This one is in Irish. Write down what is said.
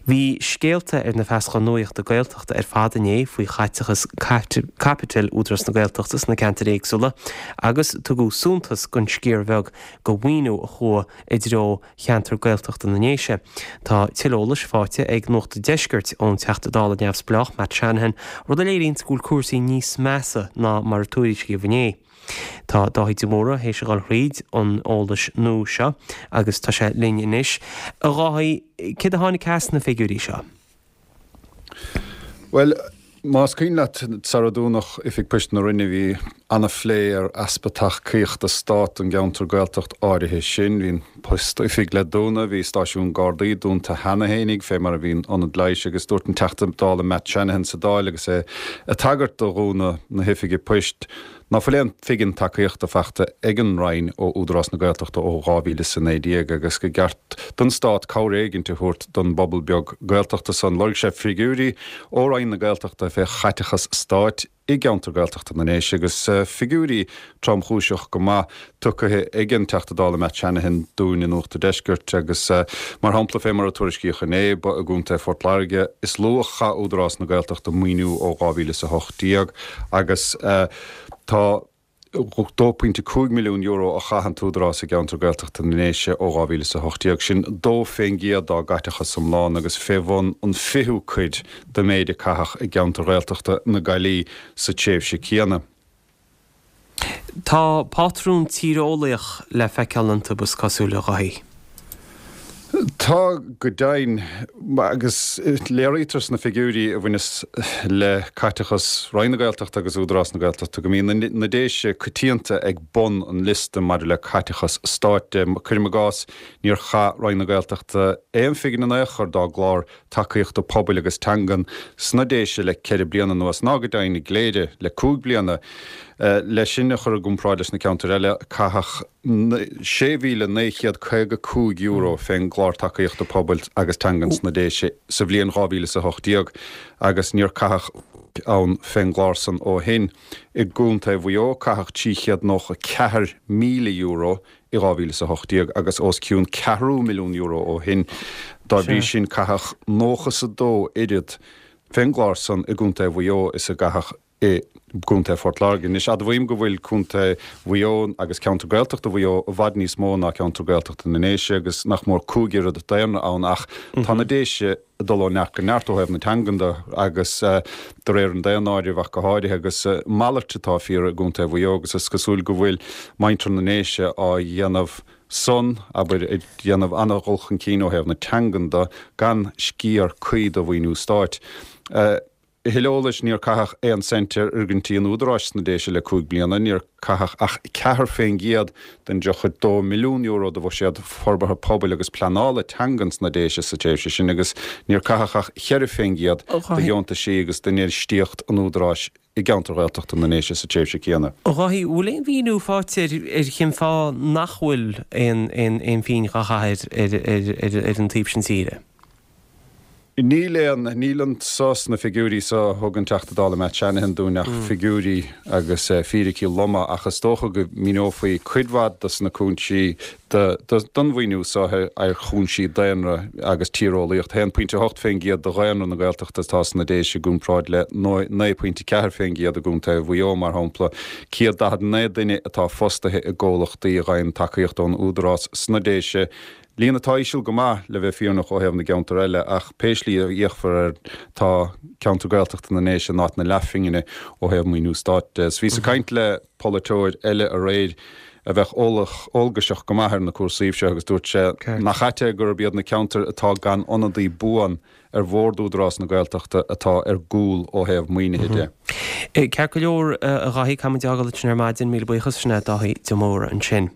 Bhí scéalta ar na feasacháin nuachta Gaeltachta ar fad inné faoi chaiteachas caipitil Údarás na Gaeltachta sna ceantair éagsúla agus tugadh suntas don sciar bheag de mhaoiniú a chuaigh i dtreo cheantar Gaeltachta na nDéise. Tá tuilleadh eolais faighte ag Nuacht an Deiscirt ón Teachta Dála neamhspleách Matt Shanahan, rud a léiríonns go bhfuil cúrsaí níos measa ná mar a tuairiscíodh inné. Tá Dáithí de Mórdha théis a dhul thríd an eolas nua seo agus tá sé linn anois. A Dháithí, céard a tháinig as na figiúirí seo? Bhuel, más cuimhin leat, sara dúnadh Oifig Poist na Rinne bhí ana-phlé ar easpa tacaíochta Stáit don gceantar Gaeltacht áirithe sin. Bhí an post-oifig le dúnadh, bhí stáisiún Gardaí dúnta cheana fhéinig, fé mar a bhí an ionad leighis agus dúirt an Teachta Dála Matt Shanahan sa Dáil agus é ag tagairt do dhúnadh na hoifige poist ná fuil aon phingin tacaíochta faighte ag an Roinn ó Údarás na Gaeltachta ó 2019 agus go gceart don Stát cabhair éigint a thabhairt don bpobal beag Gaeltachta san. Lorg sé figiúirí ó Roinn na Gaeltachta fé chaiteachas stáit i gceantar Gaeltachta na nDéise agus figiúirí tromchúiseach go maith tugtha ag an Teachta Dála Matt Shanahan dúinn i Nuacht an Deiscirt agus mar shampla fé mar a tuairiscíodh inné ba i gContae Phort Láirge is lú a chaith Údarás na Gaeltachta maoiniú ó 2018 agus tá €2.5 milliún a chaith an tÚdarás i gceantar Gaeltachta na nDéise ó 2018, sin 2% dá gcaiteachas iomlán agus fé bhun an fichiú cuid den méid a caitheadh i gceantar Ghaeltachta na Gaillimhe sa tréimhse céanna. Tá pátrún tíreolaíoch le feiceáil iontu, is cosúil, a Dháithí. Tá, go deimhin, agus léirítear sna figiúirí a bhaineas le caiteachas Roinn na Gaeltachta agus Údarás na Gaeltachta go mbíonn na Déise coitianta ag bun an liosta maidir le caiteachas stáit de. Cuirim i gcás, níor chaith Roinn na Gaeltachta aon phingin in aon chor dá gclár tacaíochta pobail agus teangan sna Déise le ceithre bliana anuas, ná go deimhin i gCléire le cúig bliana. Le sin a chur i gcomparáid leis na ceantair eile, caitheadh €6,955 fén gclár tacaíochta pobail agus teangan sna Déise sa bhliain 2018 agus níor caitheadh ann fén gclár san ó shin. I gContae Mhaigh Eo caitheadh €394,000 i 2018 agus os cionn ceathrú milliún euro ó shin. Dá bhrí sin caitheadh nócha is a dó oiread fén gclár san i gContae Mhaigh Eo is a gcaitheadh i gContae Phort Láirge. Anois admhaím go bhfuil Contae Mhaigh Eo agus ceantar Gaeltachta Mhaigh Eo i bhfad níos mó ná ceantar Gaeltachta na nDéise agus nach mór cúig oiread daonra ann ach tá na Déise ag dul ó neart go neart ó thaobh na teangan de agus de réir an daonáirimh ach go háirithe agus a mhalairt atá fíor i gContae Mhaigh Eo agus is cosúil go bhfuil muintir na nDéise á dhéanamh san, abair, ag déanamh an-dhul chun cinn ó thaobh na teangan de gan sciar cuí de mhaoiniú stáit. A thuilleadh eolais, Níor caitheadh aon cent ar fhoirgintí an Údaráis sna Déise le 5 bliana. Níor caitheadh ach 4% den €32 milliún de bhuiséad forbartha pobail agus pleanála teangan sna Déise sa tréimhse sin agus níor caitheadh ach 4% de dheontaisí agus d'infheistíocht an Údaráis i gceantar Ghaeltachta na nDéise sa tréimhse céanna. A Dháithí, bhfuil aon mhíniú faighte ar cén fáth nach bhfuil aon phingin á chaitheamh ar an taobh sin tíre? Níl aon, níl anso sna figiúirí so a thug an Teachta Dála Matt Shanahan dúinn ach figiúirí agus fíricí loma ach is dócha go míneofaí cuid mhaith dos na cúinsí don mhaoiniú so ar chúinsí daonra agus tíreolaíocht. 1.8% de dhaonra na Gaeltachta atá sna Déise i gcomparáid le 9.4% i gContae Mhaigh Eo, mar shampla. 149 duine atá fostaithe i gcomhlachtaí a ghaibheann tacaíocht ón Údarás sna Déise Líon atá íseal go maith, le bheith fírinneach, ó thaobh na gceantar eile, ach pé slí a fhéachfar air, tá ceantar Gaeltachta na nDéise in áit na leathphingine ó thaobh maoiniú stáit de. 'S bhíos ag caint le polaiteoir eile aréir a bheadh eolach, eolgaiseach go maith ar na cúrsaíbh seo agus dúirt sé nach ait é gurb iad na ceantair atá gan ionadaí buan ar bhord Údarás na Gaeltachta atá ar gcúl ó thaobh maoinithe de. Ceart go leor, a Dháithí, caithfidh muid é a fhágáil ansin ar maidin. Míle buíochas, sin é Dáithí de Mórdha ansin.